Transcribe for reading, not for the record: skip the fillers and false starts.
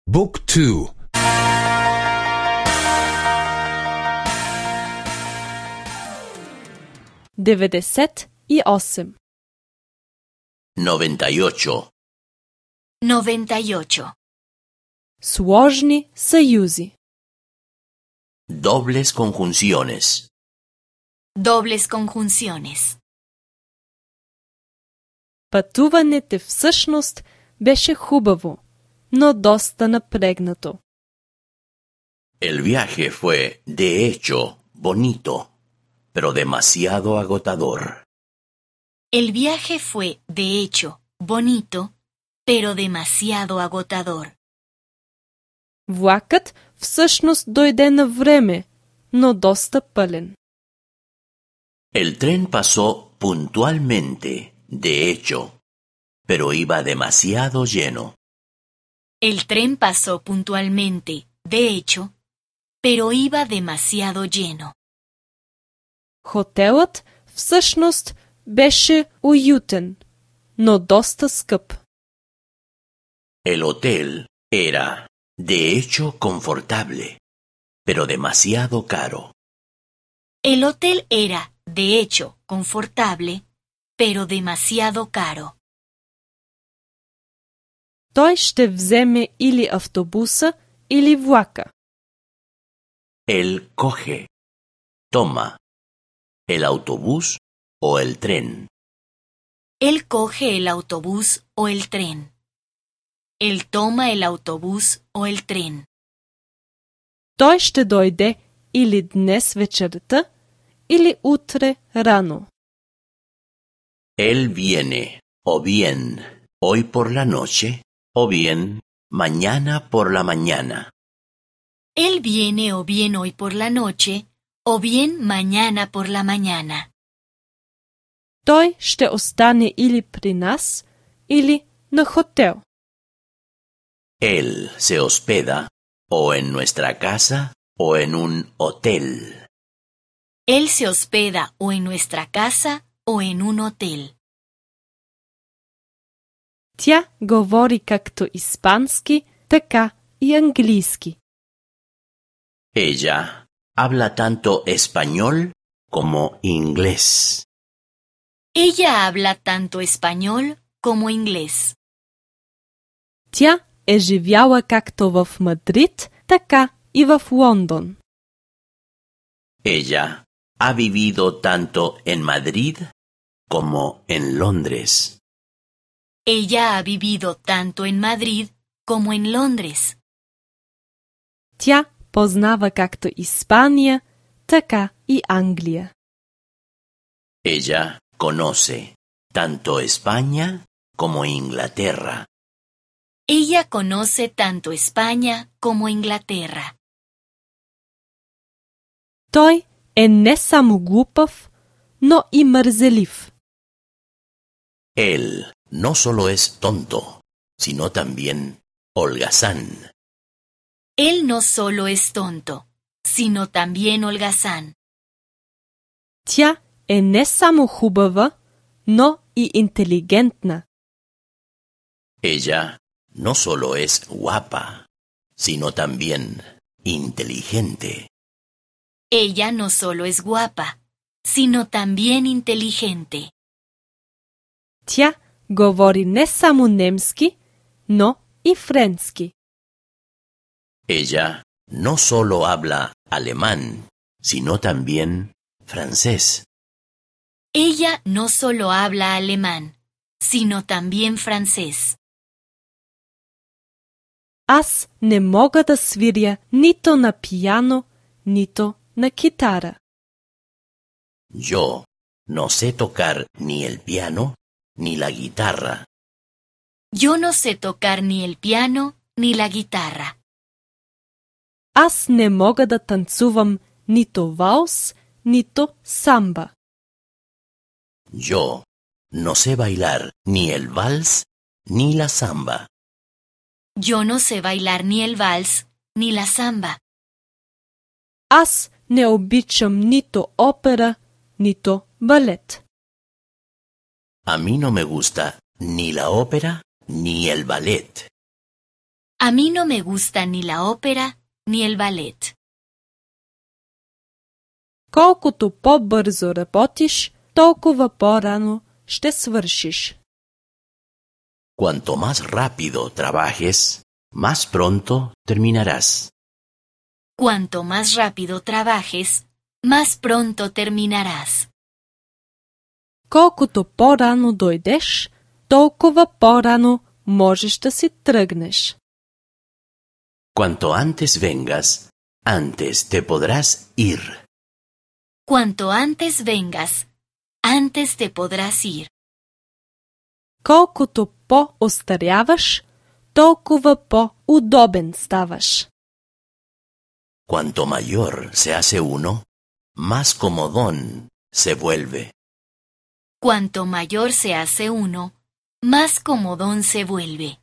Book 2. 98. 98. 98. Сложни съюзи. Dobles conjunciones. Dobles conjunciones. Пътуването всъщност беше хубаво, но доста напрегнато. El viaje fue, de hecho, bonito, pero demasiado agotador. El viaje fue, de hecho, bonito, pero demasiado agotador. Влакът всъщност дойде на време, но доста пълен. El tren pasó puntualmente, de hecho, pero iba demasiado lleno. El tren pasó puntualmente, de hecho, pero iba demasiado lleno. Хотелът всъщност беше уютен, но доста скъп. El hotel era, de hecho, confortable, pero demasiado caro. El hotel era, de hecho, confortable, pero demasiado caro. Той ще вземе или автобуса, или влака. Él coge, toma, el autobús o el tren. Él coge el autobús o el tren. Él toma el autobús o el tren. Той ще дойде или днес вечерта, или утре рано. Él viene, o bien, hoy por la noche, o bien, mañana por la mañana. Él viene o bien hoy por la noche, o bien mañana por la mañana. Той ще остане или при нас, или на хотел. Él se hospeda, o en nuestra casa, o en un hotel. Él se hospeda o en nuestra casa o en un hotel. Тя говори както испански, така и английски. Ella habla tanto español como inglés. Ella habla tanto español como inglés. Тя е живяла както в Мадрид, така и в Лондон. Ella ha vivido tanto en Madrid como en Londres. Ella ha vivido tanto en Madrid como en Londres. Тя познава както Испания, така и Англия. Ella conoce tanto España como Inglaterra. Ella conoce tanto España como Inglaterra. Той е не само глупав, но и мързелив. Él no solo es tonto, sino también holgazán. Él no solo es tonto, sino también holgazán. Тя е не само хубава, но и интелигентна. Ella no solo es guapa, sino también inteligente. Ella no solo es guapa, sino también inteligente. Тя говори не само немски, но и френски. Ella no solo habla alemán, sino también francés. Ella no solo habla alemán, sino también francés. Аз не мога да свиря нито на пиано, нито на китара. Yo no sé tocar ni el piano ni la guitarra. Yo no sé tocar ni el piano ni la guitarra. Аз не мога да танцувам нито валс, нито самба. Yo no sé bailar ni el vals ni la samba. Yo no sé bailar ni el vals ni la samba. Аз не обичам нито опера, нито балет. A mí no me gusta ni la ópera ni el ballet. A mí no me gusta ni la ópera ni el ballet. Колкото по-бързо работиш, толкова по-рано ще свършиш. Cuanto más rápido trabajes, más pronto terminarás. Cuanto más rápido trabajes, más pronto terminarás. Колкото по-рано дойдеш, толкова по-рано можеш да си тръгнеш. Cuanto antes vengas, antes te podrás ir. Cuanto antes vengas, antes te podrás ir. Колкото по-остаряваш, толкова по-удобен ставаш. Cuanto mayor se hace uno, más comodón se vuelve. Cuanto mayor se hace uno, más comodón se vuelve.